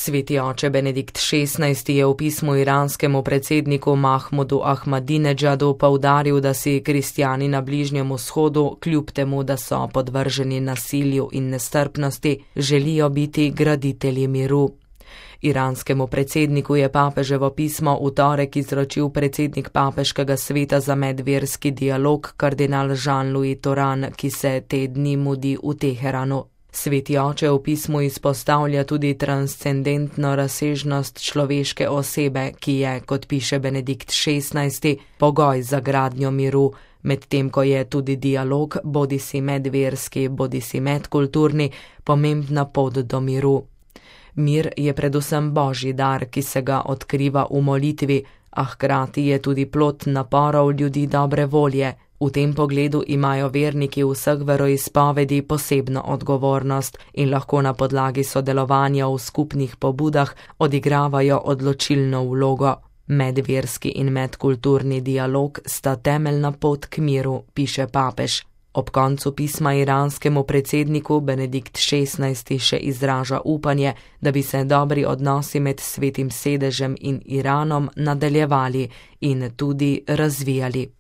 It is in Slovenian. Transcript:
Sveti oče Benedikt XVI je v pismu iranskemu predsedniku Mahmudu Ahmadinedžadu poudaril, da si kristjani na Bližnjem vzhodu, kljub temu, da so podvrženi nasilju in nestrpnosti, želijo biti graditelji miru. Iranskemu predsedniku je papeževo pismo v torek izročil predsednik papeškega sveta za medverski dialog kardinal Jean-Louis Toran, ki se te dni mudi v Teheranu. Sveti oče v pismu izpostavlja tudi transcendentno razsežnost človeške osebe, ki je, kot piše Benedikt XVI, pogoj za gradnjo miru, medtem ko je tudi dialog, bodisi medverski, bodisi medkulturni, pomembna pot do miru. Mir je predvsem božji dar, ki se ga odkriva v molitvi, a hkrati je tudi plod naporov ljudi dobre volje. V tem pogledu imajo verniki vseh veroizpovedi posebno odgovornost in lahko na podlagi sodelovanja v skupnih pobudah odigravajo odločilno vlogo. Medverski in medkulturni dialog sta temeljna pot k miru, piše papež. Ob koncu pisma iranskemu predsedniku Benedikt XVI še izraža upanje, da bi se dobri odnosi med Svetim sedežem in Iranom nadaljevali in tudi razvijali.